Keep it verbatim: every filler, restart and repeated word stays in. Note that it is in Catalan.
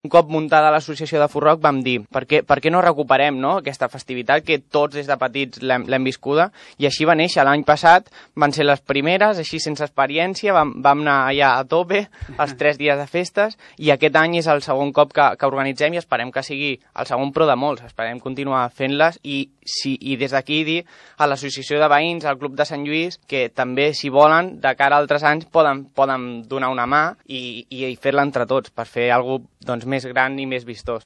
Un cop muntada l'associació de Furrock vam dir per què, per què no recuperem, no?, aquesta festivitat que tots des de petits l'hem viscuda, i així va néixer. L'any passat van ser les primeres, així sense experiència, vam, vam anar allà a tope els tres dies de festes, i aquest any és el segon cop que, que organitzem i esperem que sigui el segon però de molts, esperem continuar fent-les i, si, i des d'aquí dir a l'associació de veïns, al Club de Sant Lluís, que també, si volen, de cara a altres anys poden, poden donar una mà i, i fer-la entre tots per fer alguna cosa doncs, més gran i més vistós.